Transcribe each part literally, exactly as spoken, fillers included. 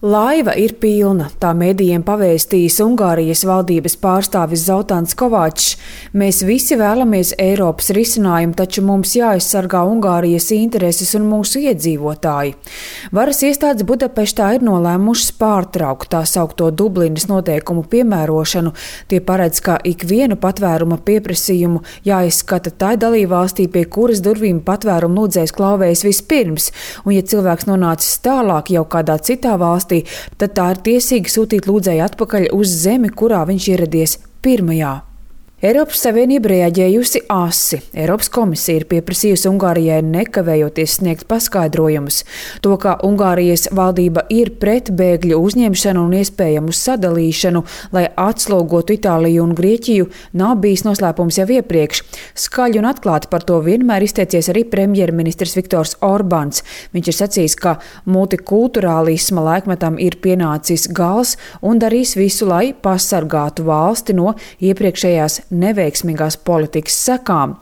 Laiva ir pilna, tā medijiem pavēstījis Ungārijas valdības pārstāvis Zoltāns Kovačs. Mēs visi vēlamies Eiropas risinājumu, taču mums jāaizsargā Ungārijas intereses un mūsu iedzīvotāji. Varas iestādes Budapeštā ir nolēmušas pārtraukt tā saukto Dublinas noteikumu piemērošanu. Tie paredz, ka ikvienu patvēruma pieprasījumu jāizskata tai dalībvalstī, pie kuras durvīm patvērumu lūdzējs klauvējas vispirms, un ja cilvēks nonācis tālāk jau kādā citā valstī, tad tā ir tiesīga sūtīt lūdzēju atpakaļ uz zemi, kurā viņš ieradies pirmajā. Eiropas Savienība reaģējusi asi. Eiropas komisija ir pieprasījusi Ungārijai nekavējoties sniegt paskaidrojumus. To, ka Ungārijas valdība ir pret bēgļu uzņemšanu un iespējamu sadalīšanu, lai atslogotu Itāliju un Grieķiju, nav bijis noslēpums jau iepriekš. Skaļi un atklāti par to vienmēr izteicies arī premjerministrs Viktors Orbāns. Viņš ir sacījis, ka multikulturālisma laikmetam ir pienācis gals un darīs visu, lai pasargātu valsti no iepriekšējās neveiksmīgās politikas sekām.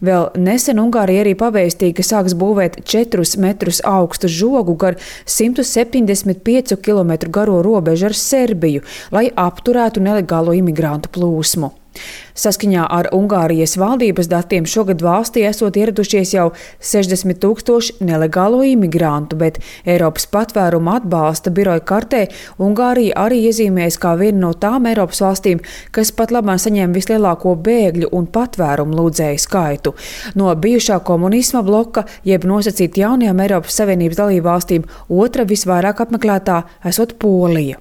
Vēl nesen Ungārija arī pavēstīja, ka sāks būvēt četrus metrus augstu žogu gar simt septiņdesmit piecu kilometru garo robežu ar Serbiju, lai apturētu nelegālo imigrantu plūsmu. Saskaņā ar Ungārijas valdības datiem šogad valstī esot ieradušies jau sešdesmit tūkstoši nelegālo imigrantu, bet Eiropas patvēruma atbalsta biroja kartē Ungārija arī iezīmējas kā viena no tām Eiropas valstīm, kas pat labāk saņem vislielāko bēgļu un patvērumu lūdzēju skaitu. No bijušā komunisma bloka, jeb nosacīt jaunajām Eiropas Savienības dalībvalstīm, otra visvairāk apmeklētā esot Polija.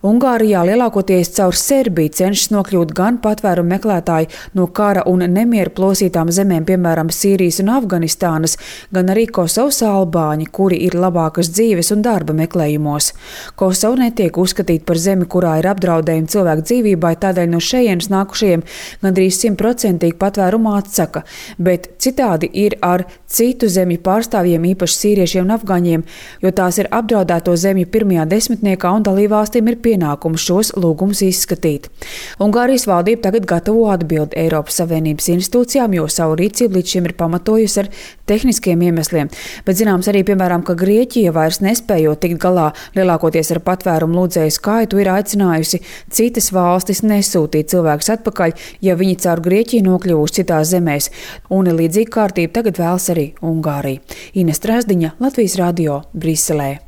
Ungārijā lielākoties caur Serbiju cenšas nokļūt gan patvērumu meklētāji no kara un nemieru plosītām zemēm, piemēram, Sīrijas un Afganistānas, gan arī Kosovas albāņi, kuri ir labākas dzīves un darba meklējumos. Kosova netiek uzskatīta par zemi, kurā ir apdraudējumi cilvēku dzīvībai, tādēļ no šejienes nākušajiem gandrīz simtprocentīgi patvērumu atsaka, bet citādi ir ar citu zemju pārstāvjiem, īpaši sīriešiem un afgaņiem, jo tās ir apdraudēto zemju pirmajā desmitniekā un dalībvalstī valstīm ir pienākums šos lūgumus izskatīt. Ungārijas valdība tagad gatavo atbildi Eiropas Savienības institūcijām, jo savu rīcību līdz šim ir pamatojusi ar tehniskiem iemesliem. Bet zināms arī, piemēram, ka Grieķija vairs nespējot tikt galā lielākoties ar patvērumu lūdzēju skaitu, ir aicinājusi citas valstis nesūtīt cilvēkus atpakaļ, ja viņi caur Grieķiju nokļuvuši citās zemēs. Un līdzīga kārtība tagad vēlas arī Ungārija. Ines Trasdiņa, Latvijas radio, Briselē.